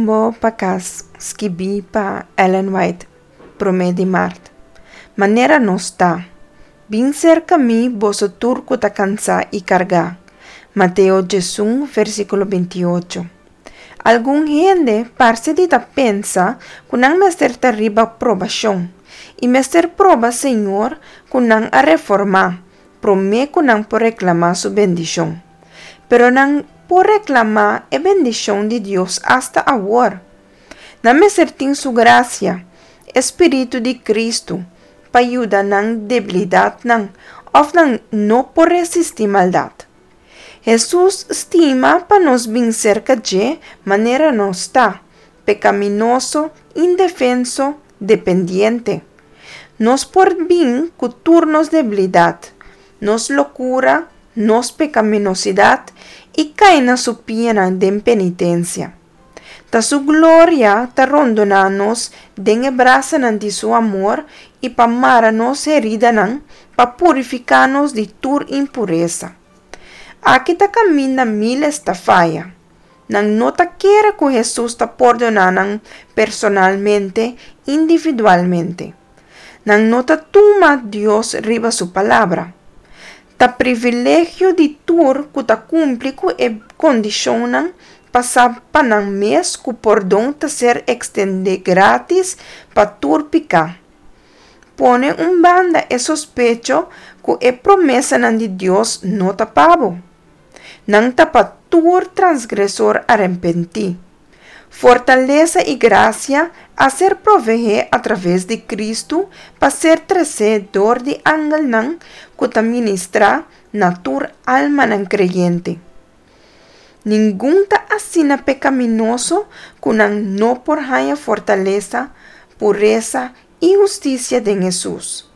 Rumbo pa kas, skibí pa Ellen White, promé di mart. Manera nos ta. Bin serka mi, boso tur ku ta kansá i kargá. Mateo 11, versíkulo 28. Algun hende parse di ta pensa ku nan mester ta riba probashon i mester proba Señor ku nan a reformá promé ku nan por reklamá su bendishon. Pero nan por reklamá e bendishon di Dios asta awor. Nan mester tin su grasia, e Spiritu di Kristu, pa yuda nan debilidatnan òf nan no por resistí maldat. Hesus stima pa nos bin serka dje manera nos ta, pekaminoso, indefenso, dependiente. Nos por bin ku tur nos debilidat, nos lokura, nos pekaminosidat i kai na su pianan den penitensia. Ta su gloria ta rondoná nos den e brasanan di su amor i pa mara nos heridanan pa purifiká nos di tur impuresa. Aki ta kaminda míles ta faya. Nan no ta kere ku Hesus ta pordoná nan personalmente, individualmente. Nan no ta tuma Dios riba su palabra. Ta privilegio di tur ku ta kumpli ku e kondishonnan pa sa pa nan mes ku pordon ta ser ekstendé grátis pa tur piká. Pone un banda e sospecho ku e promesanan di Dios no ta pa bo. Nan ta pa tur transgresor arepentí. Fortalesa i grasia a ser proveé atraves di Kristu pa ser tresé dor di angelnan ku ta ministrá na tur almanan kreyente. Ningun ta asina pekaminoso ku nan no por haña fortalesa, puresa i hustisia den Hesus,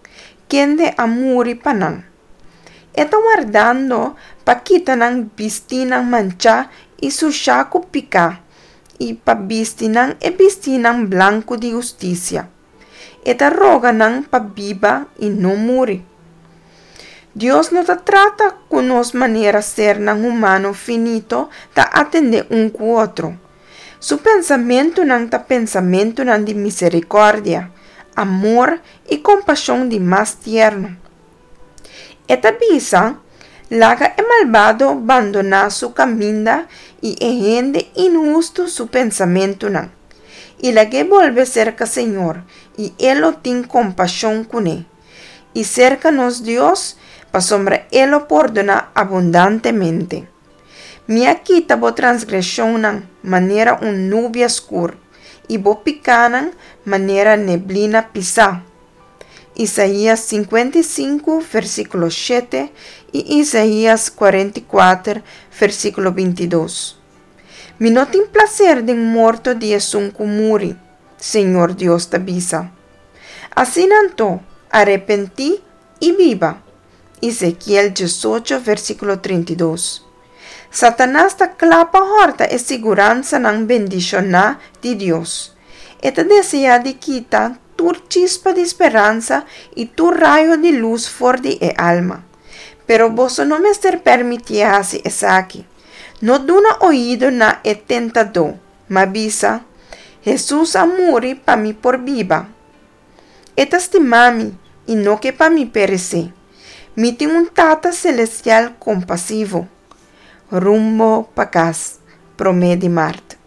kende a muri pa nan. E ta wardando pa kita nan bistínan manchá i sushá ku piká i pa bisti nan e bistínan blanku di hustisia. E ta roga nan pa biba i no muri. Dios no ta trata ku nos manera sernan humano finito ta atendé un ku otro. Su pensamentunan ta pensamentunan di miserikòrdia, amor i kompashon di mas tierno. E ta bisa, Laga e malbado bandoná su kaminda i e hende inhustu su pensamentunan. I lag'é bolbe serka Señor, i E lo tin kompashon kuné. I serka nos Dios, pasobra E lo pordoná abundantemente. Mi a kita bo transgreshonnan manera un nubia skur, i bo pikánan manera neblina pisá. Isaías 55, versíkulo 7 i Isaías 44, versíkulo 22. Mi no tin plaser den morto di esun ku muri, Señor Dios ta bisa. Asina anto, arepentí i biba. Ezekiel 18, versíkulo 32. Satanas ta kla pa hòrta e siguransanan bendishoná di Dios. E ta deseá di kita tur chispa di speransa i tur rayo di lus for di e alma. Pero boso no mester permitié hasi esaki. No duna oido na e tentadó, ma bisa, Hesus a muri pa mi por biba. E ta stima mi i no ke pa mi peresé. Mi tin un Tata selestial kompasivo. Rumbo pa kas, promé di mart.